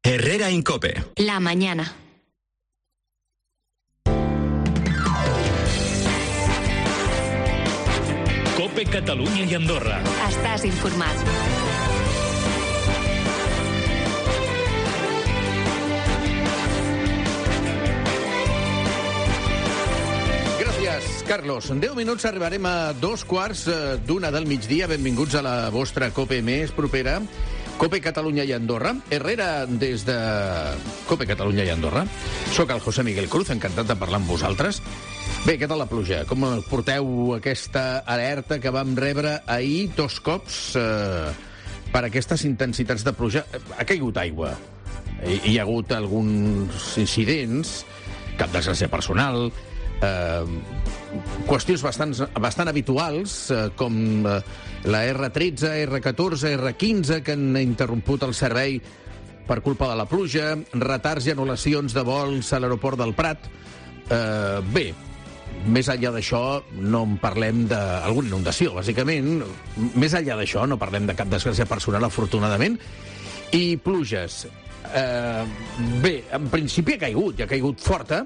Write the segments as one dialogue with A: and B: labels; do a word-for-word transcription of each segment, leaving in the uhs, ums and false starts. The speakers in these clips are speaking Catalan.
A: Herrera Incope.
B: La mañana.
C: Cope Catalunya i Andorra.
B: Estàs informat.
D: Gràcies, Carlos. En deu minuts arribarem a dos quarts d'una del migdia. Benvinguts a la vostra Cope més propera. Cope Catalunya i Andorra. Herrera des de Cope Catalunya i Andorra. Soc el José Miguel Cruz, encantat de parlar amb vosaltres. Bé, què tal la pluja? Com porteu aquesta alerta que vam rebre ahir dos cops eh, per aquestes intensitats de pluja? Ha caigut aigua. Hi, hi ha hagut alguns incidents, cap desgràcia personal, eh, qüestions bastant, bastant habituals, eh, com eh, la erre tretze, erre catorze, erre quinze, que han interromput el servei per culpa de la pluja, retards i anul·lacions de vols a l'aeroport del Prat. Eh, bé, més enllà d'això, no en parlem d'alguna inundació, bàsicament. Més enllà d'això, no parlem de cap desgràcia personal, afortunadament. I pluges. Eh, bé, en principi ha caigut, i ha caigut forta,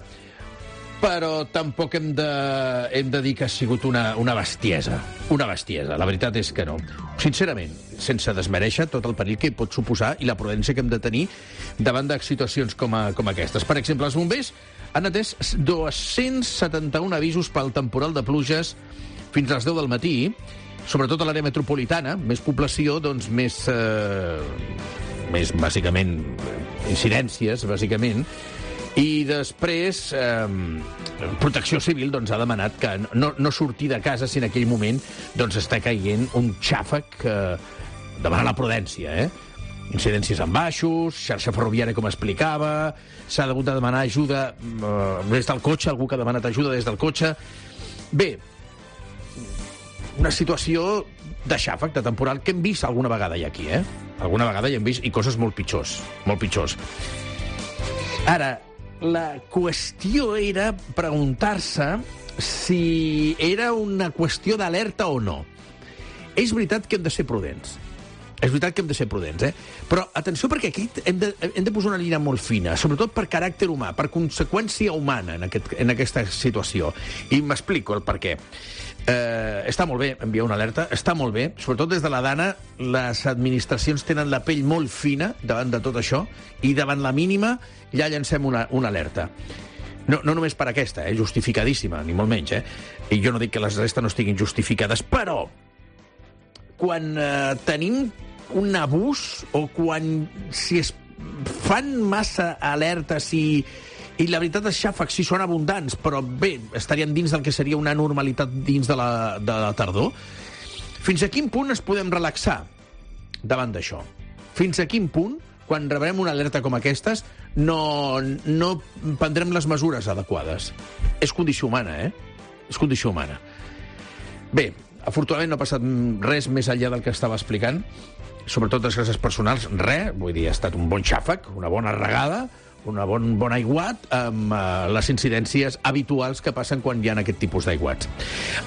D: però tampoc hem de, hem de dir que ha sigut una, una bestiesa. Una bestiesa. La veritat és que no. Sincerament, sense desmereixer tot el perill que pot suposar i la prudència que hem de tenir davant de situacions com, a, com aquestes. Per exemple, els bombers han atès dos-cents setanta-un avisos pel temporal de pluges fins a les deu del matí, sobretot a l'àrea metropolitana, més població, doncs més, eh, més bàsicament, incidències, bàsicament, i després eh, Protecció Civil doncs, ha demanat que no, no sortir de casa si en aquell moment doncs, està caient un xàfec eh, demana la prudència, eh? Incidències en baixos, xarxa ferroviària, com explicava, s'ha hagut de demanar ajuda eh, des del cotxe, algú que ha demanat ajuda des del cotxe. Bé, una situació de xàfec, de temporal, que hem vist alguna vegada ja aquí, eh? Alguna vegada ja hem vist, i coses molt pitjors, molt pitjors. Ara, la qüestió era preguntar-se si era una qüestió d'alerta o no. És veritat que hem de ser prudents. És veritat que hem de ser prudents, eh? Però, atenció, perquè aquí hem de, hem de posar una línia molt fina, sobretot per caràcter humà, per conseqüència humana en, aquest, en aquesta situació. I m'explico el per què. Eh, està molt bé enviar una alerta, està molt bé, sobretot des de la Dana, les administracions tenen la pell molt fina davant de tot això, i davant la mínima ja llancem una, una alerta. No, no només per aquesta, eh? Justificadíssima, ni molt menys, eh? I jo no dic que les restes no estiguin justificades, però quan eh, tenim un abús o quan si es fan massa alertes i, i la veritat és xàfecs sí són abundants, però bé, estarien dins del que seria una normalitat dins de la, de la tardor, fins a quin punt es podem relaxar davant d'això? Fins a quin punt, quan rebrem una alerta com aquestes, no, no prendrem les mesures adequades? És condició humana, eh? És condició humana. Bé, afortunadament no ha passat res més enllà del que estava explicant, sobretot les gràcies personals, res, vull dir, ha estat un bon xàfec, una bona regada, un bon, bon aiguat amb uh, les incidències habituals que passen quan hi ha aquest tipus d'aiguats.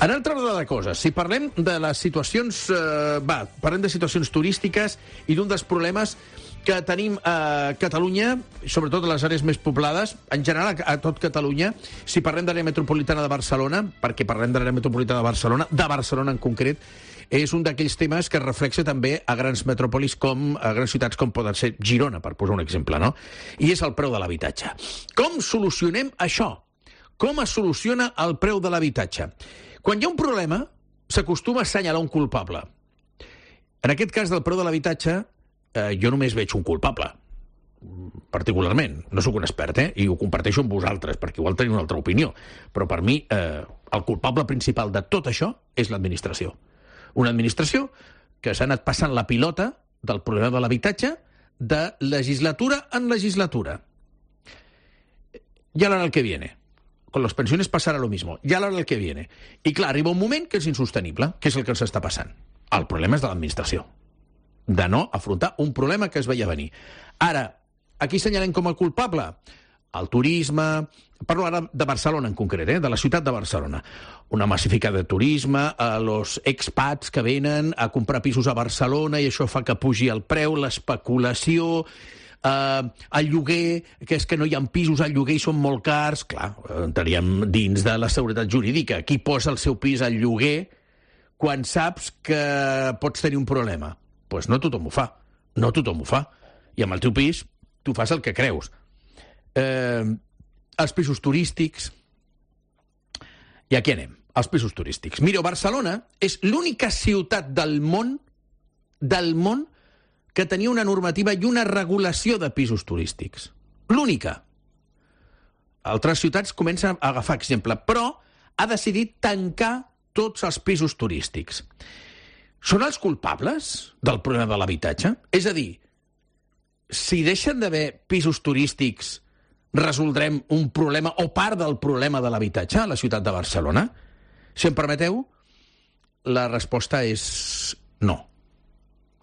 D: En altra ordre de coses, si parlem de les situacions, uh, va, parlem de situacions turístiques i d'un dels problemes que tenim a Catalunya, sobretot a les àrees més poblades, en general a tot Catalunya, si parlem de l'àrea metropolitana de Barcelona, perquè parlem de l'àrea metropolitana de Barcelona, de Barcelona en concret, és un d'aquells temes que es reflexa també a grans metròpolis com a grans ciutats com poden ser Girona, per posar un exemple, no? I és el preu de l'habitatge. Com solucionem això? Com es soluciona el preu de l'habitatge? Quan hi ha un problema, s'acostuma a assenyalar un culpable. En aquest cas del preu de l'habitatge, eh, jo només veig un culpable, particularment. No sóc un expert, eh? I ho comparteixo amb vosaltres, perquè igual teniu una altra opinió. Però per mi, eh, el culpable principal de tot això és l'administració. Una administració que s'ha anat passant la pilota del problema de l'habitatge de legislatura en legislatura. Ya lo hará el que viene. Con las pensiones pasará lo mismo. Ya lo hará el que viene. I clar, arriba un moment que és insostenible, que és el que ens està passant. El problema és de l'administració. De no afrontar un problema que es veia venir. Ara, a qui senyalem com a culpable? El turisme... Parlo ara de Barcelona en concret, eh? De la ciutat de Barcelona. Una massificada de turisme, a los expats que venen a comprar pisos a Barcelona i això fa que pugi el preu, l'especulació, Uh, el lloguer, que és que no hi ha pisos al lloguer i són molt cars, clar, entraríem dins de la seguretat jurídica. Qui posa el seu pis al lloguer quan saps que pots tenir un problema? Doncs pues no tothom ho fa, no tothom ho fa. I amb el teu pis tu fas el que creus. Eh, els pisos turístics... I aquí anem, els pisos turístics. Mireu, Barcelona és l'única ciutat del món, del món, que tenia una normativa i una regulació de pisos turístics. L'única. Altres ciutats comencen a agafar exemple, però ha decidit tancar tots els pisos turístics. Són els culpables del problema de l'habitatge? És a dir, si deixen d'haver pisos turístics, resoldrem un problema o part del problema de l'habitatge a la ciutat de Barcelona? Si em permeteu, la resposta és no.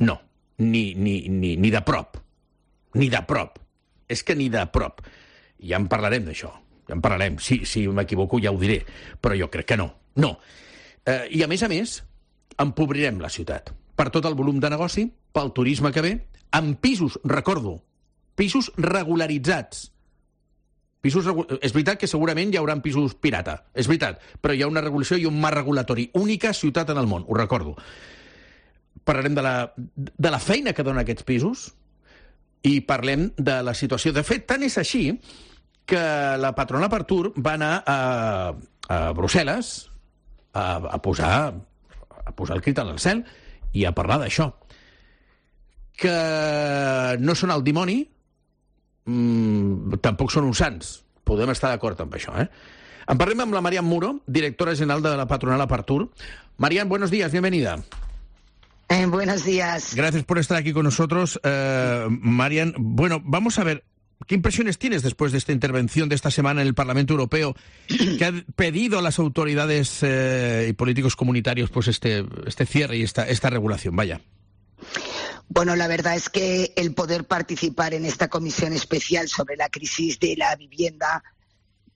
D: No. Ni, ni, ni, ni de prop. Ni de prop. És que ni de prop. Ja en parlarem d'això. Ja en parlarem. Si, si m'equivoco ja ho diré. Però jo crec que no. No. Eh, I a més a més, empobrirem la ciutat. Per tot el volum de negoci, pel turisme que ve, amb pisos, recordo, pisos regularitzats. Pisos regu... És veritat que segurament hi haurà pisos pirata, és veritat, però hi ha una regulació i un marc regulatori. Única ciutat en el món, ho recordo. Parlarem de la, de la feina que donen aquests pisos i parlem de la situació. De fet, tant és així que la patronal Partur va anar a, a Brussel·les a, a, posar, a posar el crit al cel i a parlar d'això. Que no són el dimoni, mmm, tampoc són uns sants. Podem estar d'acord amb això, eh? En parlem amb la Marian Muro, directora general de la patronal Partur. Marian, buenos días, bienvenida.
A: Eh, buenos días.
D: Gracias por estar aquí con nosotros, eh, Marian. Bueno, vamos a ver, ¿qué impresiones tienes después de esta intervención de esta semana en el Parlamento Europeo, que ha pedido a las autoridades eh, y políticos comunitarios pues este, este cierre y esta, esta regulación? Vaya.
A: Bueno, la verdad es que el poder participar en esta comisión especial sobre la crisis de la vivienda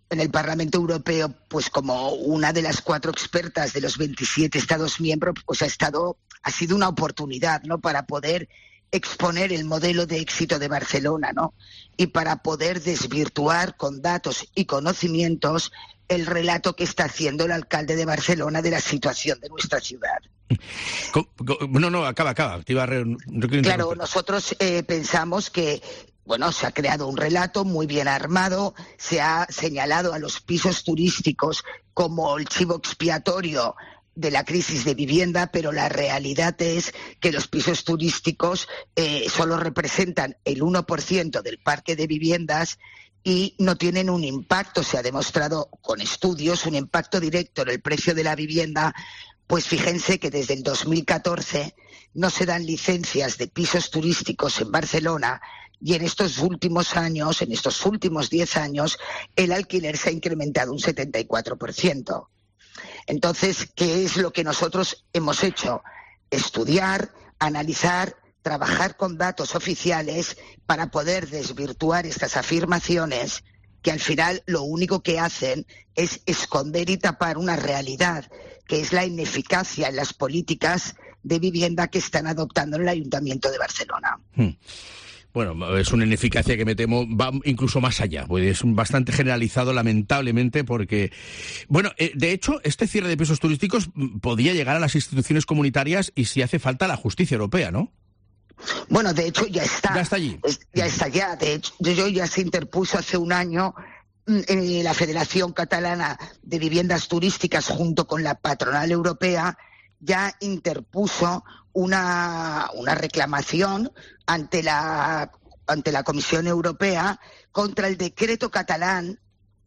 A: en el Parlamento Europeo, pues como una de las cuatro expertas de los veintisiete Estados miembros, pues ha estado, ha sido una oportunidad, ¿no?, para poder exponer el modelo de éxito de Barcelona, ¿no?, y para poder desvirtuar con datos y conocimientos el relato que está haciendo el alcalde de Barcelona de la situación de nuestra ciudad.
D: No, no, acaba, acaba. Te iba a re...
A: Claro, nosotros eh, pensamos que bueno, se ha creado un relato muy bien armado, se ha señalado a los pisos turísticos como el chivo expiatorio de la crisis de vivienda, pero la realidad es que los pisos turísticos eh, solo representan el uno por ciento del parque de viviendas y no tienen un impacto, se ha demostrado con estudios, un impacto directo en el precio de la vivienda. Pues fíjense que desde el dos mil catorce no se dan licencias de pisos turísticos en Barcelona y en estos últimos años, en estos últimos diez años, el alquiler se ha incrementado un setenta y cuatro por ciento. Entonces, ¿qué es lo que nosotros hemos hecho? Estudiar, analizar, trabajar con datos oficiales para poder desvirtuar estas afirmaciones que al final lo único que hacen es esconder y tapar una realidad, que es la ineficacia en las políticas de vivienda que están adoptando en el Ayuntamiento de Barcelona.
D: Hmm. Bueno, es una ineficacia que me temo va incluso más allá, pues es bastante generalizado, lamentablemente, porque... Bueno, eh, de hecho, este cierre de pisos turísticos podía llegar a las instituciones comunitarias y si hace falta la justicia europea, ¿no?
A: Bueno, de hecho ya está.
D: Ya está allí.
A: Es, ya está ya. De hecho, yo ya se interpuso hace un año eh, la Federación Catalana de Viviendas Turísticas junto con la patronal europea ya interpuso una, una reclamación ante la, ante la Comisión Europea contra el decreto catalán,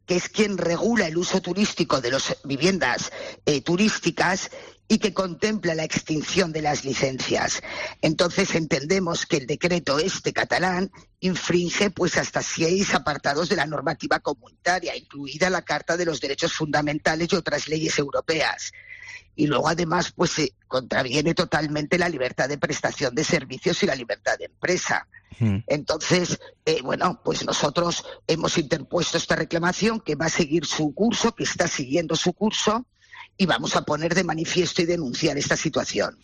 A: que es quien regula el uso turístico de las viviendas eh, turísticas y que contempla la extinción de las licencias. Entonces entendemos que el decreto este catalán infringe pues hasta seis apartados de la normativa comunitaria, incluida la Carta de los Derechos Fundamentales y otras leyes europeas. Y luego además pues se contraviene totalmente la libertad de prestación de servicios y la libertad de empresa. Mm. Entonces, eh, bueno, pues nosotros hemos interpuesto esta reclamación que va a seguir su curso, que está siguiendo su curso, y vamos a poner de manifiesto y denunciar esta situación.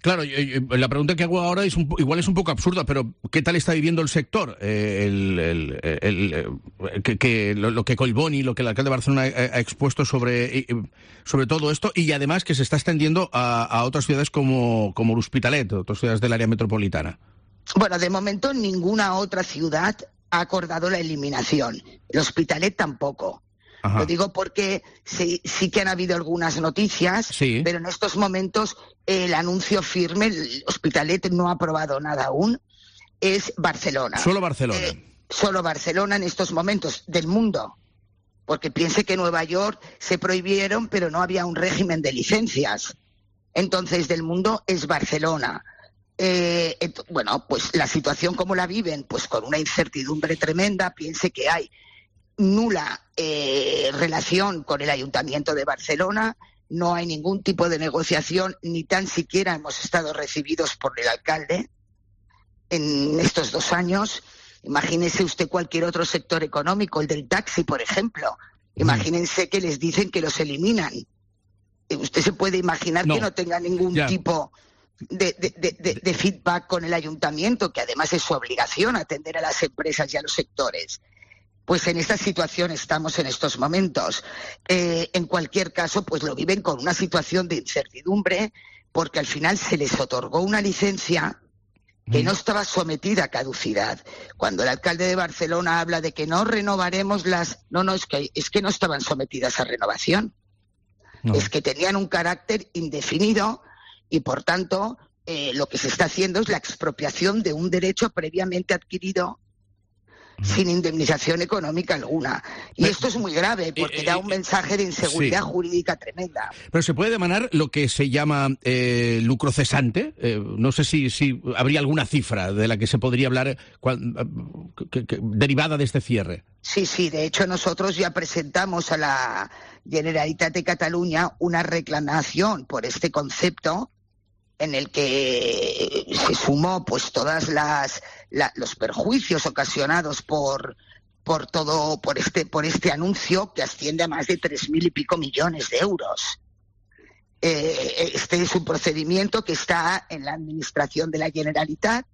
D: Claro, la pregunta que hago ahora es un, igual es un poco absurda, pero ¿qué tal está viviendo el sector? Eh, el, el, el, el, que, que lo, lo que Collboni, lo que el alcalde de Barcelona ha, ha expuesto sobre, sobre todo esto, y además que se está extendiendo a, a otras ciudades como, como l'Hospitalet, otras ciudades del área metropolitana.
A: Bueno, de momento ninguna otra ciudad ha acordado la eliminación. El Hospitalet tampoco. Ajá. Lo digo porque sí, sí que han habido algunas noticias, sí. Pero en estos momentos el anuncio firme, el Hospitalet no ha aprobado nada aún, es Barcelona.
D: Solo Barcelona.
A: Eh, solo Barcelona en estos momentos del mundo. Porque piense que en Nueva York se prohibieron, pero no había un régimen de licencias. Entonces, del mundo es Barcelona. Eh, ent- bueno, pues la situación como la viven, pues con una incertidumbre tremenda, piense que hay nula eh, relación con el Ayuntamiento de Barcelona, no hay ningún tipo de negociación, ni tan siquiera hemos estado recibidos por el alcalde en estos dos años. Imagínese usted cualquier otro sector económico, el del taxi, por ejemplo. Imagínense que les dicen que los eliminan. Usted se puede imaginar no. que no tenga ningún yeah. tipo de, de, de, de, de feedback con el Ayuntamiento, que además es su obligación atender a las empresas y a los sectores. Pues en esta situación estamos en estos momentos. Eh, en cualquier caso, pues lo viven con una situación de incertidumbre, porque al final se les otorgó una licencia que no estaba sometida a caducidad. Cuando el alcalde de Barcelona habla de que no renovaremos las... No, no, es que, es que no estaban sometidas a renovación. No. Es que tenían un carácter indefinido y, por tanto, eh, lo que se está haciendo es la expropiación de un derecho previamente adquirido sin indemnización económica alguna. Y pero, esto es muy grave, porque eh, da un mensaje de inseguridad sí. jurídica tremenda.
D: Pero se puede demanar lo que se llama eh, lucro cesante. Eh, no sé si, si habría alguna cifra de la que se podría hablar cual, que, que, derivada de este cierre.
A: Sí, sí. De hecho, nosotros ya presentamos a la Generalitat de Cataluña una reclamación por este concepto, en el que se sumó pues todas las la, los perjuicios ocasionados por por todo por este por este anuncio, que asciende a más de tres mil y pico millones de euros. Eh, este es un procedimiento que está en la administración de la Generalitat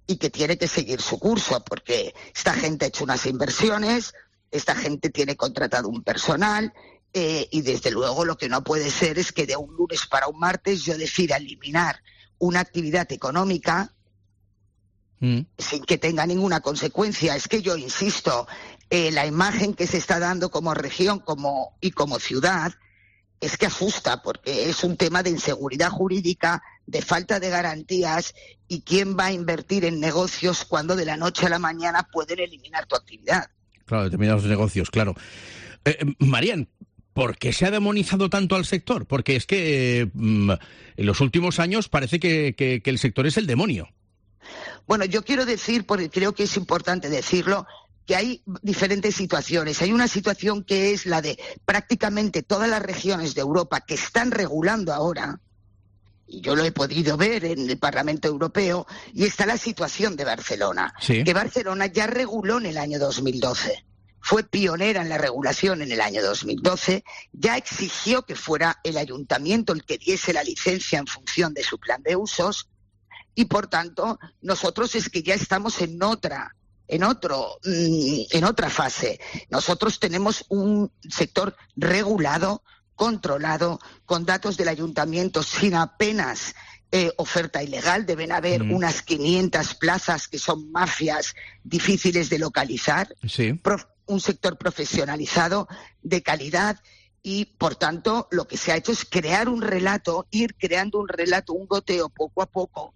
A: y que tiene que seguir su curso, porque esta gente ha hecho unas inversiones, esta gente tiene contratado un personal. Eh, y desde luego lo que no puede ser es que de un lunes para un martes yo decida eliminar una actividad económica mm. sin que tenga ninguna consecuencia. Es que yo insisto, eh, la imagen que se está dando como región como y como ciudad es que asusta, porque es un tema de inseguridad jurídica, de falta de garantías, y quién va a invertir en negocios cuando de la noche a la mañana pueden eliminar tu actividad.
D: Claro, determinados negocios, claro. Eh, Marian, ¿por qué se ha demonizado tanto al sector? Porque es que eh, en los últimos años parece que, que, que el sector es el demonio.
A: Bueno, yo quiero decir, porque creo que es importante decirlo, que hay diferentes situaciones. Hay una situación que es la de prácticamente todas las regiones de Europa que están regulando ahora, y yo lo he podido ver en el Parlamento Europeo, y está la situación de Barcelona, sí. que Barcelona ya reguló en el año dos mil doce. Fue pionera en la regulación en el año dos mil doce, ya exigió que fuera el ayuntamiento el que diese la licencia en función de su plan de usos, y por tanto nosotros es que ya estamos en otra, en otro, en otra fase. Nosotros tenemos un sector regulado, controlado, con datos del ayuntamiento, sin apenas eh, oferta ilegal. Deben haber mm. unas quinientas plazas que son mafias difíciles de localizar.
D: Sí.
A: Pro- un sector profesionalizado de calidad y, por tanto, lo que se ha hecho es crear un relato, ir creando un relato, un goteo poco a poco,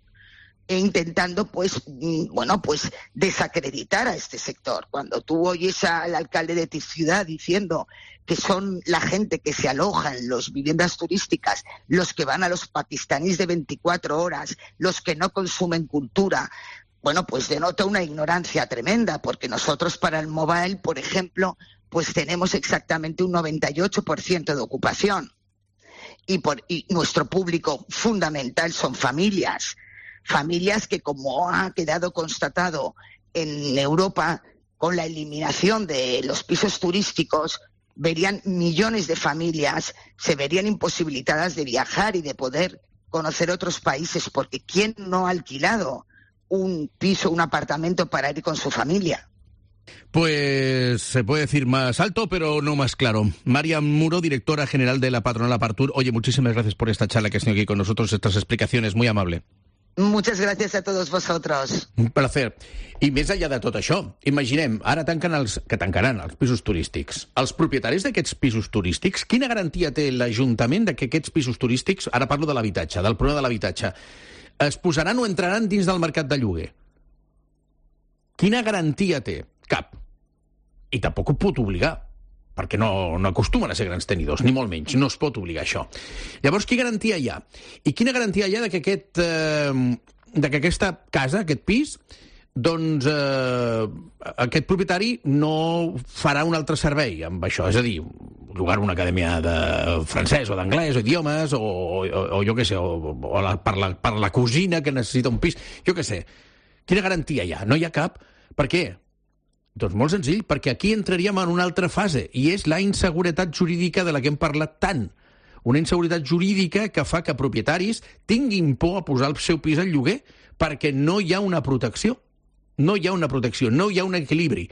A: e intentando, pues, bueno, pues desacreditar a este sector. Cuando tú oyes al alcalde de tu ciudad diciendo que son la gente que se aloja en las viviendas turísticas, los que van a los pakistaníes de veinticuatro horas, los que no consumen cultura, bueno, pues denota una ignorancia tremenda, porque nosotros para el mobile, por ejemplo, pues tenemos exactamente un noventa y ocho por ciento de ocupación. Y, por, y nuestro público fundamental son familias, familias que, como ha quedado constatado en Europa, con la eliminación de los pisos turísticos, verían millones de familias, se verían imposibilitadas de viajar y de poder conocer otros países, porque ¿quién no ha alquilado un piso, un apartamento para ir con su familia?
D: Pues se puede decir más alto, pero no más claro. María Muro, directora general de la patronal Apartur. Oye, muchísimas gracias por esta charla que has tenido aquí con nosotros, estas explicaciones, muy amable.
A: Muchas gracias a todos vosotros.
D: Un placer. I més enllà de tot això, imaginem, ara tanquen els, que tancaran els pisos turístics. Els propietaris d'aquests pisos turístics, quina garantia té l'Ajuntament de que aquests pisos turístics, ara parlo de l'habitatge, del problema de l'habitatge, es posaran o entraran dins del mercat de lloguer? Quina garantia té? Cap. I tampoc ho pot obligar, perquè no, no acostumen a ser grans tenidors, ni molt menys, no es pot obligar això. Llavors, quina garantia hi ha? I quina garantia hi ha de que, aquest, eh, de que aquesta casa, aquest pis, doncs eh, aquest propietari no farà un altre servei amb això? És a dir, llogar una acadèmia de francès o d'anglès o idiomes, o, o, o jo què sé, o, o la, per, la, per la cosina que necessita un pis, jo què sé. Quina garantia hi ha? No hi ha cap. Per què? Doncs molt senzill, perquè aquí entraríem en una altra fase, i és la inseguretat jurídica de la que hem parlat tant. Una inseguretat jurídica que fa que propietaris tinguin por a posar el seu pis al lloguer perquè no hi ha una protecció. No hi ha una protecció, no hi ha un equilibri.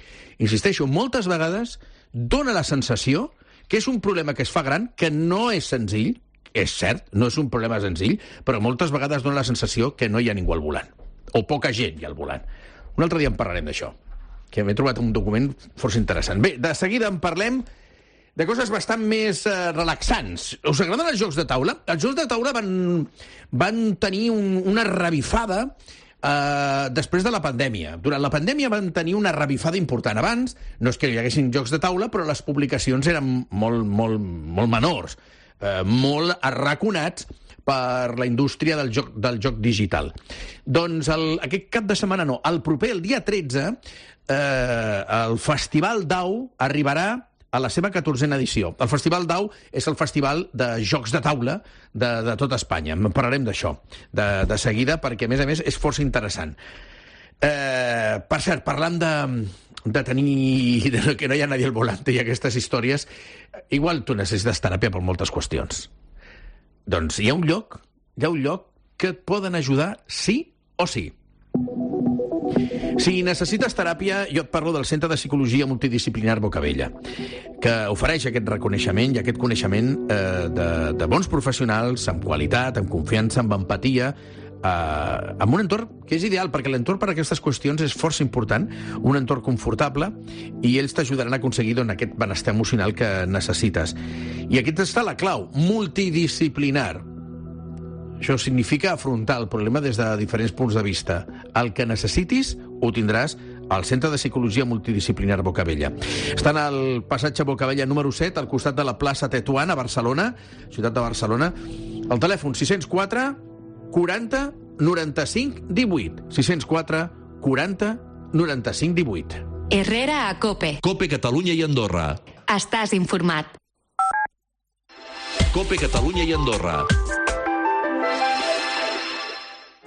D: Insisteixo, moltes vegades dona la sensació que és un problema que es fa gran, que no és senzill, és cert, no és un problema senzill, però moltes vegades dona la sensació que no hi ha ningú al volant, o poca gent hi ha al volant. Un altre dia en parlarem d'això, que m'he trobat un document força interessant. Bé, de seguida en parlem de coses bastant més eh, relaxants. Us agraden els jocs de taula? Els jocs de taula van, van tenir un, una revifada eh, després de la pandèmia. Durant la pandèmia van tenir una revifada important. Abans no és que hi haguessin jocs de taula, però les publicacions eren molt, molt, molt menors, eh, molt arraconats per la indústria del joc, del joc digital. Doncs el, aquest cap de setmana no, el proper, el dia tretze, eh, el Festival d'Au arribarà a la seva catorzena edició. El Festival d'Au és el festival de jocs de taula de, de tot Espanya. En parlarem d'això de, de seguida, perquè, a més a més, és força interessant. Eh, per cert, parlant de, de tenir... De que no hi ha nadie al volante i aquestes històries, igual tu necessites teràpia per moltes qüestions. Doncs hi ha un lloc, hi ha un lloc que et poden ajudar sí o sí. Si necessites teràpia, jo et parlo del Centre de Psicologia Multidisciplinar Bocabella, que ofereix aquest reconeixement i aquest coneixement eh, de, de bons professionals, amb qualitat, amb confiança, amb empatia, eh, amb un entorn que és ideal, perquè l'entorn per a aquestes qüestions és força important, un entorn confortable, i ells t'ajudaran a aconseguir doncs, aquest benestar emocional que necessites. I aquí està la clau, multidisciplinar. Això significa afrontar el problema des de diferents punts de vista. El que necessitis ho tindràs al Centre de Psicologia Multidisciplinar Bocabella. Estan al passatge Bocabella número set, al costat de la plaça Tetuan, a Barcelona, ciutat de Barcelona. El telèfon sis zero quatre quaranta noranta-cinc divuit. sis zero quatre quaranta noranta-cinc divuit.
B: Herrera a COPE.
C: COPE Catalunya i Andorra.
B: Estàs informat.
C: COPE Catalunya i Andorra.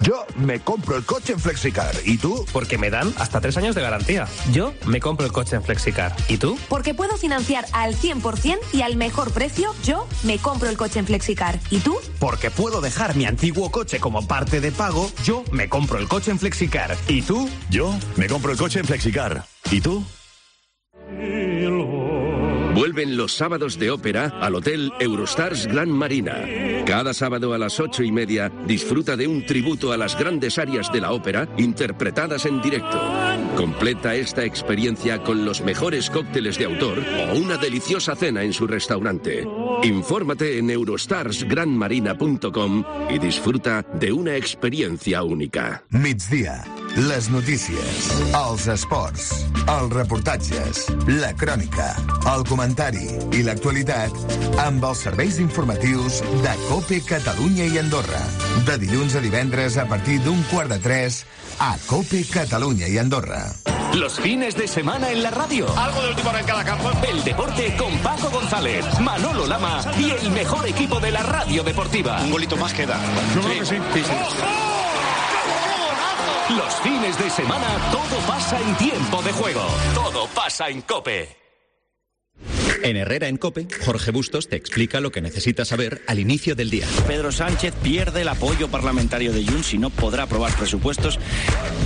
E: Yo me compro el coche en Flexicar. ¿Y tú?
F: Porque me dan hasta tres años de garantía. Yo me compro el coche en Flexicar. ¿Y tú?
G: Porque puedo financiar al cien por ciento y al mejor precio. Yo me compro el coche en Flexicar. ¿Y tú?
F: Porque puedo dejar mi antiguo coche como parte de pago. Yo me compro el coche en Flexicar. ¿Y tú?
E: Yo me compro el coche en Flexicar. ¿Y tú?
H: Vuelven los sábados de ópera al Hotel Eurostars Gran Marina. Cada sábado a las ocho y media disfruta de un tributo a las grandes arias de la ópera interpretadas en directo. Completa esta experiencia con los mejores cócteles de autor o una deliciosa cena en su restaurante. Infórmate en eurostars gran marina punto com y disfruta de una experiencia única.
I: Migdia, les notícies, els esports, els reportatges, la crònica, el comentari i l'actualitat amb els serveis informatius de COPE Catalunya i Andorra. De dilluns a divendres a partir d'un quart de tres a COPE Catalunya i Andorra.
J: Los fines de semana en la radio. Algo de último hora en cada campo. El deporte con Paco González, Manolo Lama y el mejor equipo de la radio deportiva.
K: Un golito más queda.
J: Yo creo que sí. sí, sí. Los fines de semana todo pasa en tiempo de juego. Todo pasa en COPE.
K: En Herrera en COPE, Jorge Bustos te explica lo que necesitas saber al inicio del día.
L: Pedro Sánchez pierde el apoyo parlamentario de Junts y no podrá aprobar presupuestos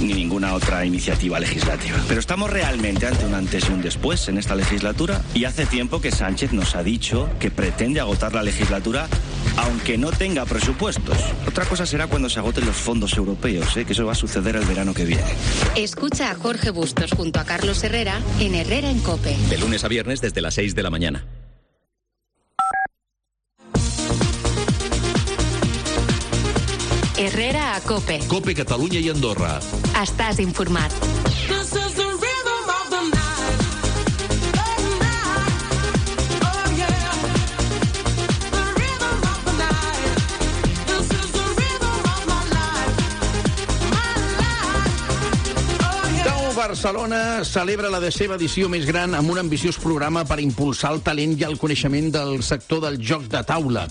L: ni ninguna otra iniciativa legislativa. Pero estamos realmente ante un antes y un después en esta legislatura y hace tiempo que Sánchez nos ha dicho que pretende agotar la legislatura aunque no tenga presupuestos. Otra cosa será cuando se agoten los fondos europeos, ¿eh? Que eso va a suceder el verano que viene.
B: Escucha a Jorge Bustos junto a Carlos Herrera en Herrera en COPE.
K: De lunes a viernes desde las seis de la mañana.
B: Herrera a COPE.
C: COPE Catalunya i Andorra.
B: Estàs informat.
D: Barcelona celebra la seva edició més gran amb un ambiciós programa per impulsar el talent i el coneixement del sector del joc de taula.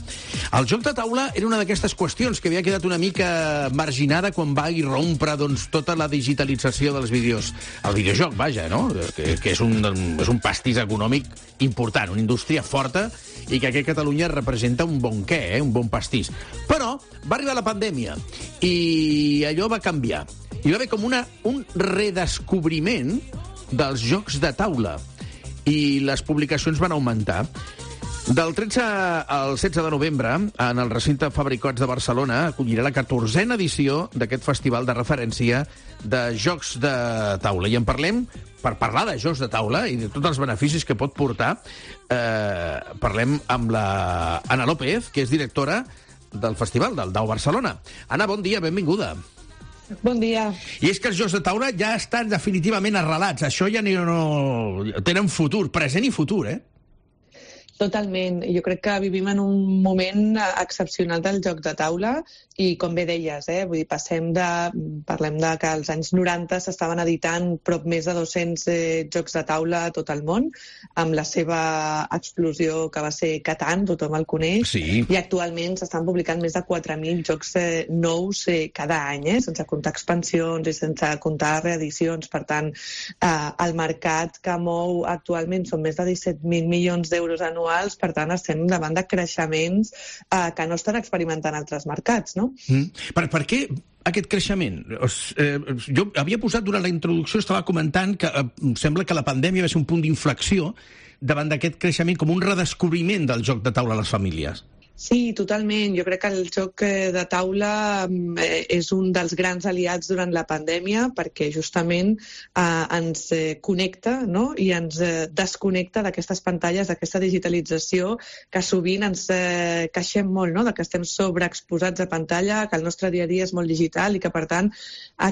D: El joc de taula era una d'aquestes qüestions que havia quedat una mica marginada quan va irrompre doncs, tota la digitalització dels vídeos. El videojoc, vaja, no? Que, que és, un, és un pastís econòmic important, una indústria forta i que aquí a Catalunya representa un bon què, eh? Un bon pastís. Però va arribar la pandèmia i allò va canviar. Hi va haver com una, un redescobriment dels jocs de taula i les publicacions van augmentar. Del tretze al setze de novembre, en el recinte Fabra i Coats de Barcelona, acollirà la catorzena edició d'aquest festival de referència de jocs de taula. I en parlem, per parlar de jocs de taula i de tots els beneficis que pot portar, eh, parlem amb la Anna López, que és directora del festival del Dau Barcelona. Anna, bon dia, benvinguda.
M: Bon dia.
D: I és que els jocs de taula ja estan definitivament arrelats. Això ja no, no tenen futur, present i futur, eh?
M: Totalment. Jo crec que vivim en un moment excepcional del joc de taula i, com bé deies, eh, vull dir, passem de... Parlem de que als anys noranta s'estaven editant prop més de dos-cents eh, jocs de taula a tot el món, amb la seva explosió que va ser Catan, tothom el coneix,
D: sí.
M: I actualment s'estan publicant més de quatre mil jocs eh, nous eh, cada any, eh, sense comptar expansions i sense comptar reedicions. Per tant, eh, el mercat que mou actualment són més de disset mil milions d'euros anuals, per tant, estem davant de creixements eh, que no estan experimentant altres mercats, no?
D: Mm. Per, per què aquest creixement? Eh, jo havia posat durant la introducció, estava comentant que eh, sembla que la pandèmia va ser un punt d'inflexió davant d'aquest creixement, com un redescobriment del joc de taula a les famílies.
M: Sí, totalment. Jo crec que el joc de taula eh, és un dels grans aliats durant la pandèmia perquè justament eh, ens eh, connecta, no? I ens eh, desconnecta d'aquestes pantalles, d'aquesta digitalització que sovint ens eh, queixem molt, no? De que estem sobreexposats a pantalla, que el nostre dia a dia és molt digital i que, per tant,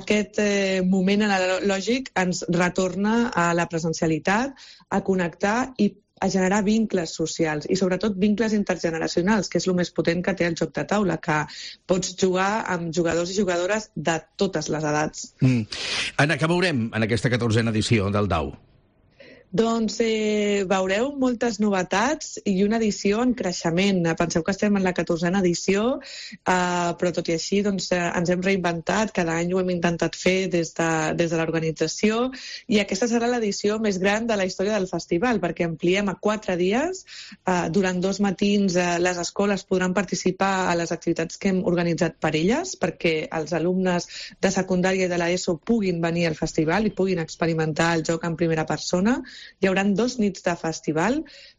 M: aquest eh, moment analògic ens retorna a la presencialitat, a connectar i a generar vincles socials i sobretot vincles intergeneracionals, que és el més potent que té el joc de taula, que pots jugar amb jugadors i jugadores de totes les edats.
D: Mm. Anna, què veurem en aquesta catorzena edició del Dau?
M: Doncs eh, veureu moltes novetats i una edició en creixement. Penseu que estem en la catorzena edició, eh, però tot i així doncs, eh, ens hem reinventat, cada any ho hem intentat fer des de, des de l'organització i aquesta serà l'edició més gran de la història del festival perquè ampliem a quatre dies. Eh, durant dos matins eh, les escoles podran participar a les activitats que hem organitzat per elles perquè els alumnes de secundària i de l'ESO puguin venir al festival i puguin experimentar el joc en primera persona. Hi haurà dos nits de festival,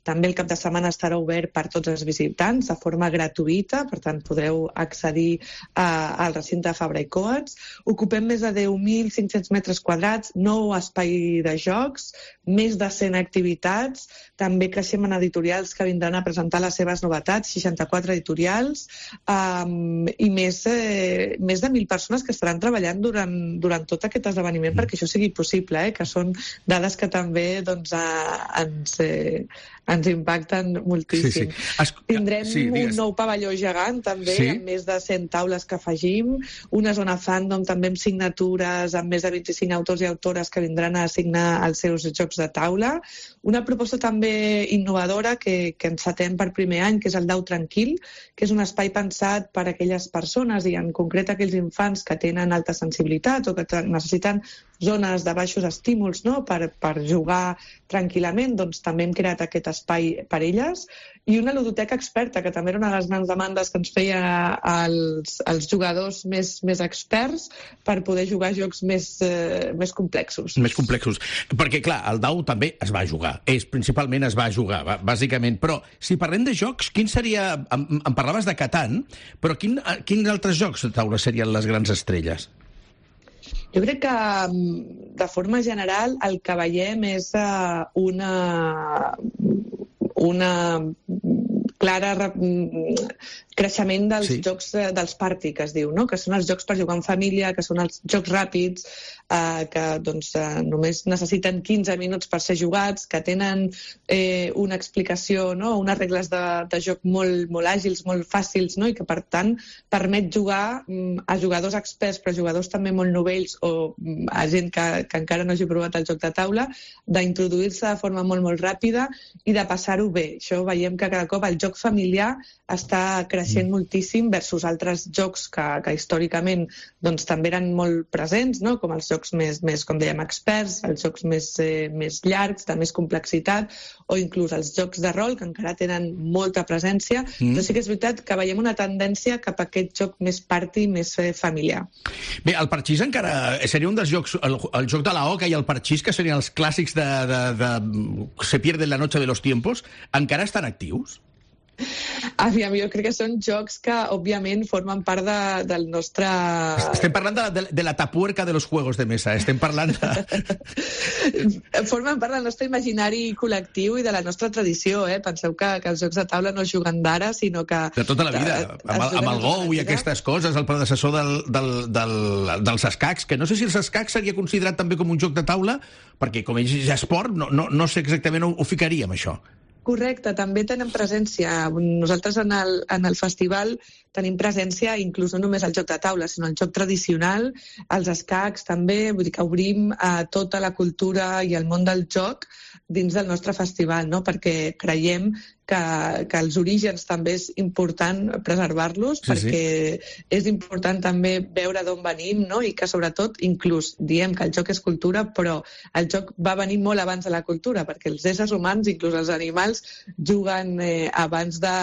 M: també el cap de setmana estarà obert per tots els visitants de forma gratuïta, per tant podreu accedir a, al recinte de Fabra i Coats. Ocupem més de deu mil cinc-cents metres quadrats, nou espai de jocs, més de cent activitats, també creixem en editorials que vindran a presentar les seves novetats, seixanta-quatre editorials, um, i més, eh, més de mil persones que estaran treballant durant, durant tot aquest esdeveniment perquè això sigui possible, eh, que són dades que també doncs, a, ens, eh, ens impacten moltíssim.
D: Sí, sí. Es...
M: Tindrem
D: sí,
M: un nou pavelló gegant també, sí? Amb més de cent taules que afegim, una zona fandom també amb signatures, amb més de vint-i-cinc autors i autores que vindran a signar els seus jocs de taula, una proposta també innovadora que, que encetem per primer any, que és el Dau Tranquil, que és un espai pensat per a aquelles persones i en concret aquells infants que tenen alta sensibilitat o que necessiten zones de baixos estímuls, no? per, per jugar tranquil·lament, doncs també hem creat aquest espai per elles, i una ludoteca experta, que també era una de les grans demandes que ens feia els, els jugadors més, més experts per poder jugar jocs més, eh, més complexos.
D: Més complexos. Perquè, clar, el dau també es va jugar. És, principalment es va jugar, bàsicament. Però, si parlem de jocs, quin seria... Em, em parlaves de Catan, però quin, quins altres jocs de taula serien les grans estrelles?
M: Jo crec que, de forma general, el que veiem és uh, una... una clara creixement dels sí. jocs dels party, que es diu, no? Que són els jocs per jugar en família, que són els jocs ràpids, eh, que doncs, eh, només necessiten quinze minuts per ser jugats, que tenen eh, una explicació, no? Unes regles de, de joc molt, molt àgils, molt fàcils, no? I que, per tant, permet jugar mm, a jugadors experts, però jugadors també molt novells o mm, a gent que, que encara no hagi provat el joc de taula, d'introduir-se de forma molt, molt ràpida i de passar-ho bé. Això veiem que cada cop el joc familiar està creixent mm. moltíssim versus altres jocs que, que històricament doncs, també eren molt presents, no? Com els jocs més, més, com dèiem, experts, els jocs més, eh, més llargs, de més complexitat, o inclús els jocs de rol, que encara tenen molta presència, mm. però sí que és veritat que veiem una tendència cap a aquest joc més party, més eh, familiar.
D: Bé, el parxís encara seria un dels jocs, el, el joc de la oca i el parxís, que serien els clàssics de, de, de Se pierde la noche de los tiempos, encara estan actius?
M: Aviam, jo crec que són jocs que, òbviament, formen part de, del nostre...
D: Estem parlant de, de, de la tapuerca de los juegos de mesa, estem parlant de...
M: Formen part del nostre imaginari col·lectiu i de la nostra tradició, eh? Penseu que, que els jocs de taula no es juguen d'ara, sinó que...
D: De tota la vida, amb, amb el Go i aquestes coses, el predecessor del, del, del, dels escacs, que no sé si els escacs seria considerat també com un joc de taula, perquè com és esport, no, no, no sé exactament on ho ficaríem, això.
M: Correcte, també tenen presència. Nosaltres en el, en el festival tenim presència inclús no només al joc de taula, sinó al joc tradicional, als escacs també, vull dir que obrim a tota la cultura i el món del joc dins del nostre festival, no? Perquè creiem que, que els orígens també és important preservar-los, sí, perquè sí. És important també veure d'on venim, no? I que sobretot, inclús diem que el joc és cultura, però el joc va venir molt abans de la cultura, perquè els éssers humans, inclús els animals, juguen eh, abans de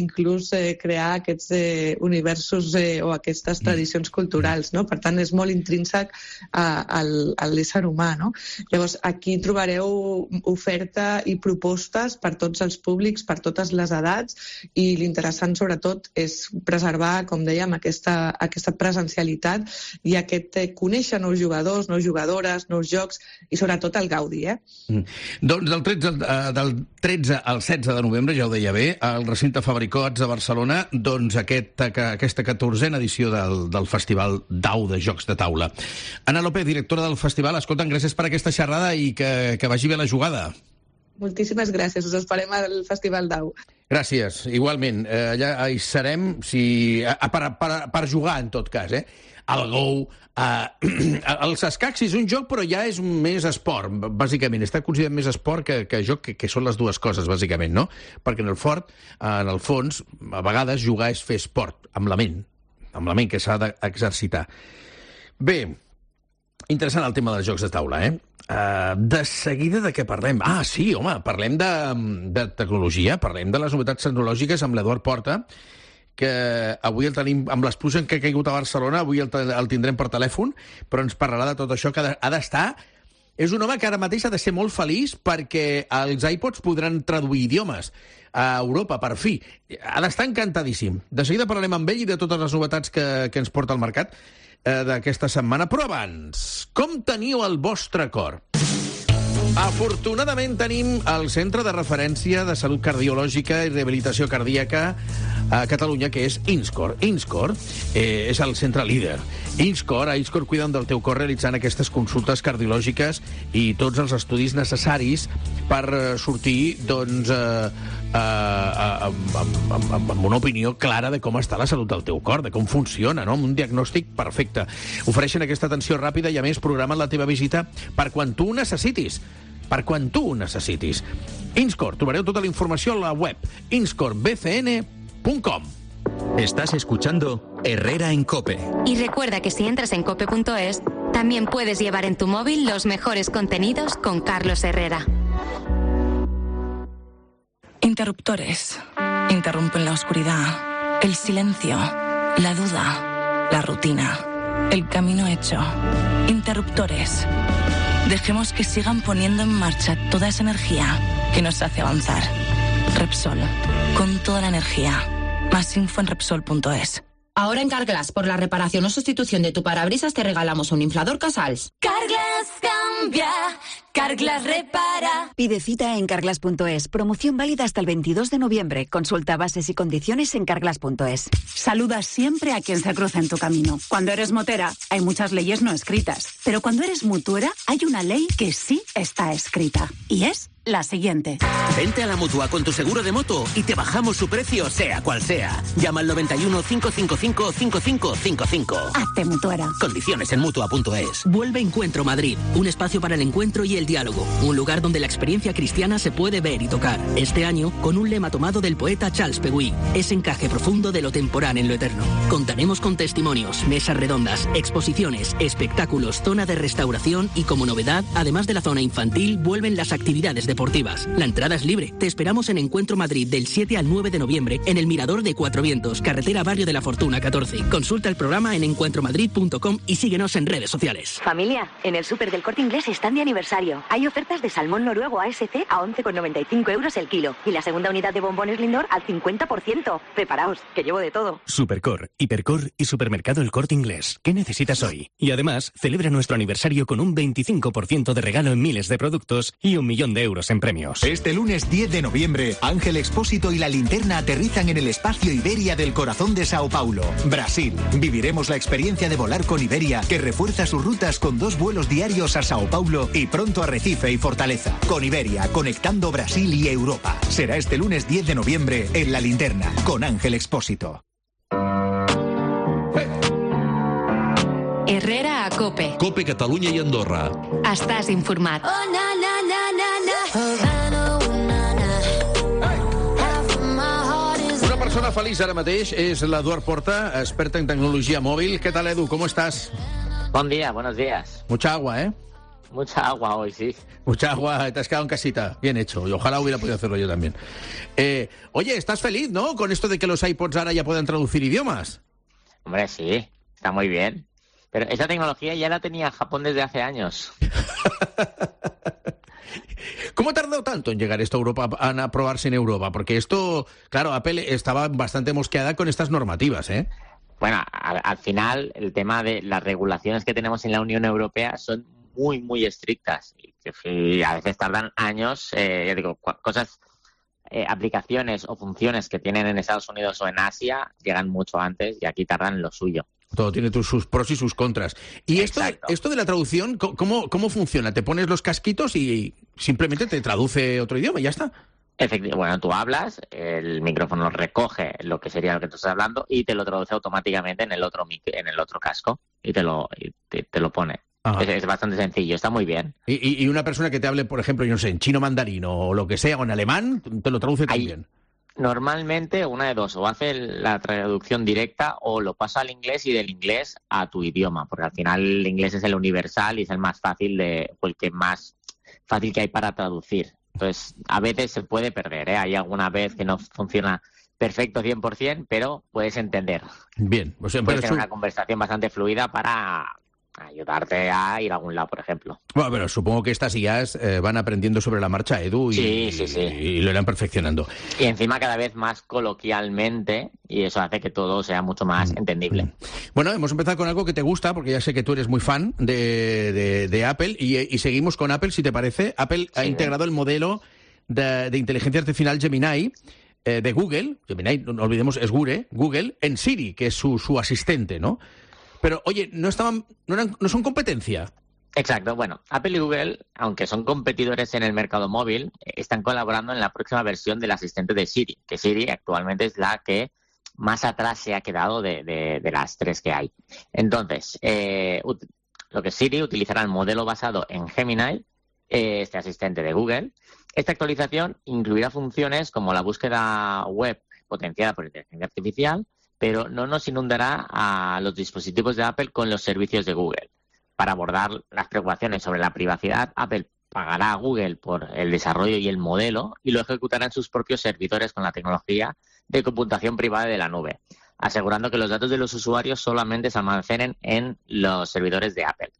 M: inclús eh, crear aquests eh, universos eh, o aquestes tradicions culturals, no? Per tant, és molt intrínsec a, a, a l'ésser humà, no? Llavors, aquí trobareu oferta i propostes per tots els públics, per totes les edats, i l'interessant sobretot és preservar, com dèiem, aquesta, aquesta presencialitat i aquest eh, conèixer nous jugadors, nous jugadores, nous jocs i sobretot el gaudi, eh?
D: Mm. Doncs del tretze, del tretze al setze de novembre, ja ho deia bé, al recinte Fabricots de Barcelona, doncs aquest, aquesta catorzena edició del, del Festival Dau de Jocs de Taula. Anna López, directora del festival, escolta'm, gràcies per aquesta xerrada i que, que vagi bé la jugada.
M: Moltíssimes gràcies, us esperem al Festival Dau.
D: Gràcies, igualment. Eh, allà hi serem si, per, per, per jugar, en tot cas, eh? El Go, eh, els escacs és un joc, però ja és més esport, bàsicament. Està considerat més esport que, que joc, que, que són les dues coses, bàsicament, no? Perquè en el fort, en el fons, a vegades jugar és fer esport, amb la ment, amb la ment que s'ha d'exercitar. Bé, interessant el tema dels jocs de taula, eh? Uh, de seguida de què parlem? Ah, sí, home, parlem de, de tecnologia, parlem de les novetats tecnològiques amb l'Eduard Porta, que avui el tenim amb l'explosió que ha caigut a Barcelona, avui el, el tindrem per telèfon, però ens parlarà de tot això, que ha d'estar... És un home que ara mateix ha de ser molt feliç perquè els iPods podran traduir idiomes a Europa, per fi. Ha d'estar encantadíssim. De seguida parlarem amb ell i de totes les novetats que, que ens porta al mercat d'aquesta setmana. Però abans, com teniu el vostre cor? Afortunadament tenim el Centre de Referència de Salut Cardiològica i Rehabilitació Cardíaca a Catalunya, que és INSCOR. INSCOR eh, és el centre líder. INSCOR, a INSCOR cuiden del teu cor realitzant aquestes consultes cardiològiques i tots els estudis necessaris per sortir, doncs, eh, eh, amb, amb, amb, amb una opinió clara de com està la salut del teu cor, de com funciona, no? Amb un diagnòstic perfecte. Ofereixen aquesta atenció ràpida i, a més, programen la teva visita per quan tu ho necessitis. Per quan tu ho necessitis. INSCOR, trobareu tota la informació a la web inscor b c n punto com.
K: Estás escuchando Herrera en COPE.
B: Y recuerda que si entras en cope punto es, también puedes llevar en tu móvil los mejores contenidos con Carlos Herrera.
N: Interruptores. Interrumpen la oscuridad, el silencio, la duda, la rutina, el camino hecho. Interruptores. Dejemos que sigan poniendo en marcha toda esa energía que nos hace avanzar. Repsol, con toda la energía. Más info en Repsol punto es.
O: Ahora en Carglass, por la reparación o sustitución de tu parabrisas, te regalamos un inflador Casals.
P: Carglass cambia, Carglass repara.
Q: Pide cita en Carglass punto es. Promoción válida hasta el veintidós de noviembre. Consulta bases y condiciones en Carglass punto es.
R: Saluda siempre a quien se cruza en tu camino. Cuando eres motera, hay muchas leyes no escritas. Pero cuando eres mutuera, hay una ley que sí está escrita. Y es la siguiente.
S: Vente a la Mutua con tu seguro de moto y te bajamos su precio, sea cual sea. Llama al noventa y uno, cinco cinco cinco, cinco cinco cinco cinco.
R: Hazte mutuera.
S: Condiciones en Mutua punto es. Vuelve Encuentro Madrid, un espacio para el encuentro y el diálogo. Un lugar donde la experiencia cristiana se puede ver y tocar. Este año, con un lema tomado del poeta Charles Peguy, ese encaje profundo de lo temporal en lo eterno. Contaremos con testimonios, mesas redondas, exposiciones, espectáculos, zona de restauración y, como novedad, además de la zona infantil, vuelven las actividades deportivas. La entrada es libre. Te esperamos en Encuentro Madrid del siete al nueve de noviembre en el Mirador de Cuatro Vientos, carretera Barrio de la Fortuna catorce. Consulta el programa en encuentro madrid punto com y síguenos en redes sociales.
T: Familia, en el súper del Corte Inglés están de aniversario. Hay ofertas de salmón noruego A S C a once con noventa y cinco euros el kilo y la segunda unidad de bombones Lindor al cincuenta por ciento. Preparaos, que llevo de todo.
F: Supercor, Hipercor y Supermercado El Corte Inglés. ¿Qué necesitas hoy? Y además, celebra nuestro aniversario con un veinticinco por ciento de regalo en miles de productos y un millón de euros en premios.
U: Este lunes diez de noviembre, Ángel Expósito y La Linterna aterrizan en el espacio Iberia del corazón de Sao Paulo, Brasil. Viviremos la experiencia de volar con Iberia, que refuerza sus rutas con dos vuelos diarios a Sao Paulo y pronto a Recife y Fortaleza. Con Iberia, conectando Brasil y Europa. Será este lunes diez de noviembre en La Linterna, con Ángel Expósito.
B: Herrera a COPE.
C: COPE Catalunya i Andorra.
B: Estàs informat.
P: Oh, na, na, na, na, na.
D: Una persona feliç ara mateix és l'Eduard Porta, experta en tecnologia mòbil. ¿Qué tal, Edu? ¿Cómo estás?
V: Buen día, buenos días.
D: Mucha agua, ¿eh?
V: Mucha agua hoy, sí.
D: Mucha agua, te has quedado en casita. Bien hecho. Y ojalá hubiera podido hacerlo yo también. Eh, oye, estás feliz, ¿no? Con esto de que los iPods ahora ya puedan traducir idiomas.
V: Hombre, sí. Está muy bien. Pero esa tecnología ya la tenía Japón desde hace años.
D: ¿Cómo ha tardado tanto en llegar esto a Europa, a aprobarse en Europa? Porque esto, claro, Apple estaba bastante mosqueada con estas normativas, ¿eh?
V: Bueno, al, al final, el tema de las regulaciones que tenemos en la Unión Europea son muy, muy estrictas. Y, y a veces tardan años, eh, ya digo, cosas, eh, aplicaciones o funciones que tienen en Estados Unidos o en Asia llegan mucho antes y aquí tardan lo suyo.
D: Todo tiene tus, sus pros y sus contras. ¿Y esto, esto de la traducción, ¿cómo, cómo funciona? ¿Te pones los casquitos y simplemente te traduce otro idioma y ya está?
V: Efectivamente, bueno, tú hablas, el micrófono recoge lo que sería lo que tú estás hablando y te lo traduce automáticamente en el otro en el otro casco y te lo y te, te lo pone. Es, es bastante sencillo, está muy bien.
D: ¿Y, y una persona que te hable, por ejemplo, yo no sé, en chino mandarín o lo que sea, o en alemán, te lo traduce también?
V: Normalmente una de dos, o hace la traducción directa o lo pasa al inglés y del inglés a tu idioma, porque al final el inglés es el universal y es el más fácil de, o el que más fácil que hay para traducir. Entonces, a veces se puede perder, ¿eh? Hay alguna vez que no funciona perfecto cien por ciento, pero puedes entender.
D: Bien. O sea,
V: puedes tener
D: su...
V: una conversación bastante fluida para ayudarte a ir a algún lado, por ejemplo.
D: Bueno, pero supongo que estas I As eh, van aprendiendo sobre la marcha, Edu, y,
V: sí, sí, sí.
D: y lo irán perfeccionando.
V: Y encima cada vez más coloquialmente, y eso hace que todo sea mucho más mm. entendible.
D: Bueno, hemos empezado con algo que te gusta, porque ya sé que tú eres muy fan de, de, de Apple, y, y seguimos con Apple, si te parece. Apple sí, ha integrado el modelo de, de inteligencia artificial Gemini eh, de Google. Gemini, no olvidemos, es Google, Google, en Siri, que es su, su asistente, ¿no? Pero, oye, ¿no estaban, no, eran, no son competencia?
V: Exacto. Bueno, Apple y Google, aunque son competidores en el mercado móvil, están colaborando en la próxima versión del asistente de Siri, que Siri actualmente es la que más atrás se ha quedado de, de, de las tres que hay. Entonces, eh, lo que Siri utilizará el modelo basado en Gemini, eh, este asistente de Google. Esta actualización incluirá funciones como la búsqueda web potenciada por inteligencia artificial, pero no nos inundará a los dispositivos de Apple con los servicios de Google. Para abordar las preocupaciones sobre la privacidad, Apple pagará a Google por el desarrollo y el modelo y lo ejecutará en sus propios servidores con la tecnología de computación privada de la nube, asegurando que los datos de los usuarios solamente se almacenen en los servidores de Apple.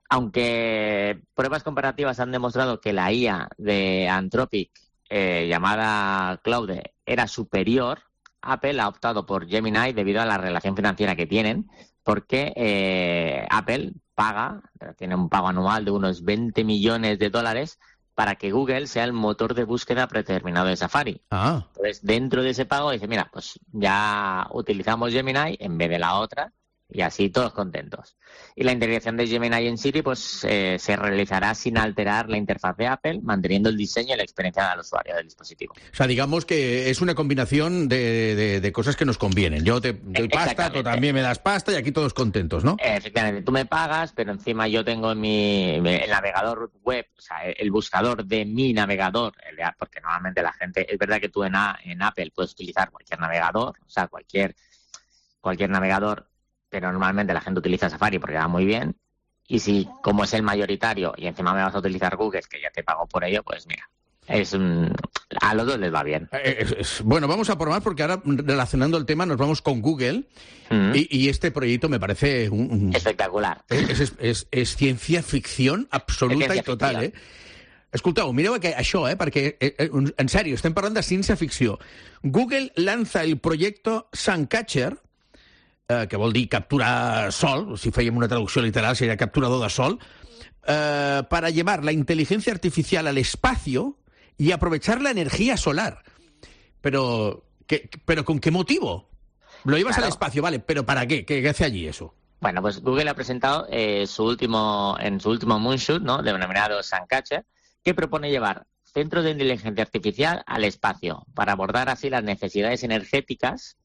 V: Aunque pruebas comparativas han demostrado que la I A de Anthropic, eh, llamada Claude, era superior, Apple ha optado por Gemini debido a la relación financiera que tienen, porque eh, Apple paga, tiene un pago anual de unos veinte millones de dólares para que Google sea el motor de búsqueda predeterminado de Safari.
D: Ah.
V: Entonces, dentro de ese pago dice, mira, pues ya utilizamos Gemini en vez de la otra, y así todos contentos. Y la integración de Gemini en Siri pues eh, se realizará sin alterar la interfaz de Apple, manteniendo el diseño y la experiencia del usuario del dispositivo.
D: O sea, digamos que es una combinación de, de, de cosas que nos convienen. Yo te doy pasta, tú también me das pasta y aquí todos contentos, ¿no?
V: Efectivamente, tú me pagas, pero encima yo tengo en mi el navegador web, o sea, el buscador de mi navegador, el de, porque normalmente la gente, es verdad que tú en, a, en Apple puedes utilizar cualquier navegador, o sea, cualquier cualquier navegador, pero normalmente la gente utiliza Safari porque va muy bien. Y si, como es el mayoritario, y encima me vas a utilizar Google, que ya te pago por ello, pues mira, es un... a los dos les va bien.
D: Es, es, bueno, vamos a por más porque ahora, relacionando el tema, nos vamos con Google. Mm. Y, y este proyecto me parece... Un, un...
V: espectacular.
D: Es, es, es, es ciencia ficción absoluta i total, eh? Escolteu, mireu això, eh? Perquè, eh, en sèrio, estem parlant de ciència ficció. Google lanza el proyecto Suncatcher, eh, que vol dir capturar sol, si fèiem una traducció literal seria capturador de sol, eh, para llevar la inteligencia artificial al espacio y aprovechar la energía solar. Pero, ¿qué, pero ¿con qué motivo? Lo llevas claro. al espacio, vale, pero ¿para qué? ¿Qué, qué hace allí eso?
V: Bueno, pues Google ha presentado eh, su último, en su último moonshot, ¿no?, denominado Suncatcher, que propone llevar centros de inteligencia artificial al espacio para abordar así las necesidades energéticas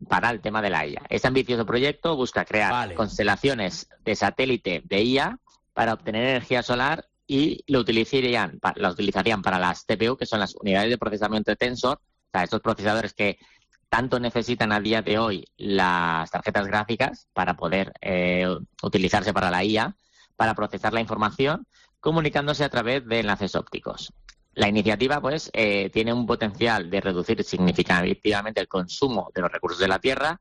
V: para el tema de la I A. Este ambicioso proyecto busca crear vale. constelaciones de satélite de I A para obtener energía solar y lo utilizarían, la utilizarían para las T P U, que son las unidades de procesamiento de Tensor, o sea, estos procesadores que tanto necesitan a día de hoy las tarjetas gráficas para poder eh, utilizarse para la I A, para procesar la información, comunicándose a través de enlaces ópticos. La iniciativa, pues, eh, tiene un potencial de reducir significativamente el consumo de los recursos de la Tierra,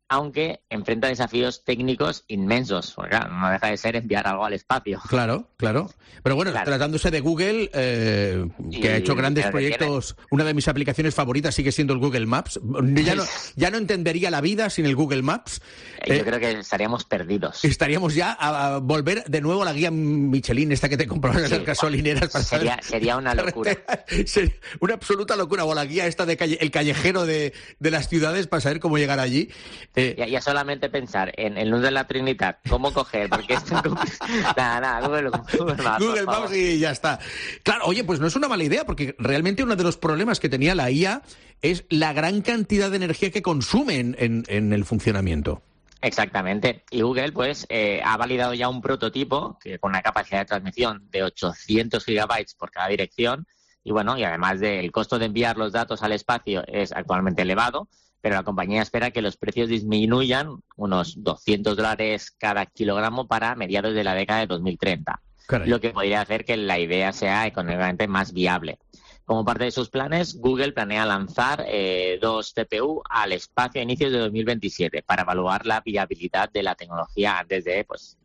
V: aunque enfrenta desafíos técnicos inmensos, porque claro, no deja de ser enviar algo al espacio.
D: Claro, claro. Pero bueno, claro. tratándose de Google, eh, que y, ha hecho grandes proyectos, tiene... una de mis aplicaciones favoritas sigue siendo el Google Maps. Ya no, ya no entendería la vida sin el Google Maps.
V: Yo eh, creo que estaríamos perdidos.
D: Estaríamos ya a, a volver de nuevo a la guía Michelin, esta que te comprabas en sí, las gasolineras. Para
V: sería,
D: saber...
V: sería una locura.
D: Sería una absoluta locura. O la guía esta de calle, el callejero de, de las ciudades para saber cómo llegar allí.
V: Eh, ya, ya solamente pensar en el nudo de la Trinidad, cómo coger, porque esto nada, nada, Google, Google Maps.
D: Google Maps y ya está. Claro, oye, pues no es una mala idea, porque realmente uno de los problemas que tenía la I A es la gran cantidad de energía que consume en, en, en el funcionamiento.
V: Exactamente. Y Google, pues, eh, ha validado ya un prototipo que con una capacidad de transmisión de ochocientos gigabytes por cada dirección, y bueno, y además del costo de enviar los datos al espacio es actualmente elevado, pero la compañía espera que los precios disminuyan unos doscientos dólares cada kilogramo para mediados de la década de dos mil treinta, Caray. Lo que podría hacer que la idea sea económicamente más viable. Como parte de sus planes, Google planea lanzar eh, dos T P U al espacio a inicios de dos mil veintisiete para evaluar la viabilidad de la tecnología antes de, pues,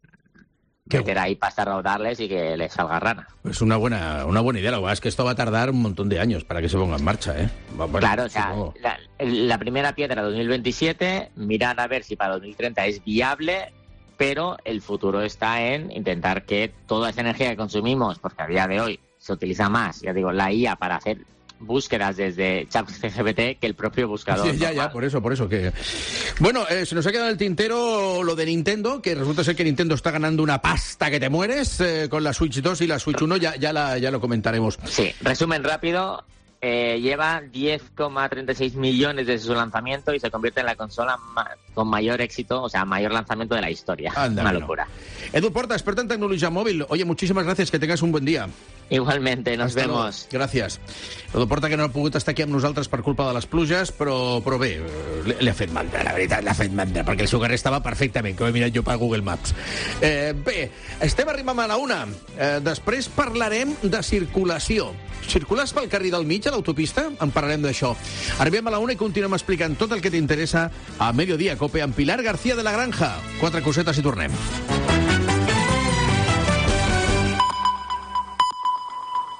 V: meter ahí pasta a rodarles y que les salga rana.
D: Es una buena, una buena idea. Lo que pasa es que esto va a tardar un montón de años para que se ponga en marcha, ¿eh? Bueno,
V: claro, o sea, la, la primera piedra dos mil veintisiete, mirar a ver si para dos mil treinta es viable, pero el futuro está en intentar que toda esa energía que consumimos, porque a día de hoy se utiliza más, ya digo, la I A para hacer búsquedas desde ChatGPT que el propio buscador.
D: Sí, ya, ya, por eso, por eso que... Bueno, eh, se nos ha quedado en el tintero lo de Nintendo, que resulta ser que Nintendo está ganando una pasta que te mueres eh, con la Switch dos y la Switch uno, ya, ya, la, ya lo comentaremos.
V: Sí, resumen rápido, Eh, lleva diez coma treinta y seis millones desde su lanzamiento y se convierte en la consola ma con mayor éxito, o sea, mayor lanzamiento de la historia.
D: Anda,
V: Una
D: no.
V: locura.
D: Edu Porta, experta en tecnología móvil. Oye, muchísimas gracias, que tengas un buen día.
V: Igualmente, nos
D: Hasta
V: vemos.
D: Luego. Gràcies. Edu Porta, que no ha pogut estar aquí amb nosaltres per culpa de les pluges, però, però bé, li, li ha fet mandra, la veritat, l'ha fet mandra, perquè el seu carrer estava perfectament, que ho he mirat jo per Google Maps. Eh, bé, estem arribant a la una. Eh, després parlarem de circulació. Circules pel carrer del mig, a l'autopista? En parlarem d'això. Arribem a la una i continuem explicant tot el que t'interessa a Mediodía Cope amb Pilar García de la Granja. Quatre cosetes i tornem.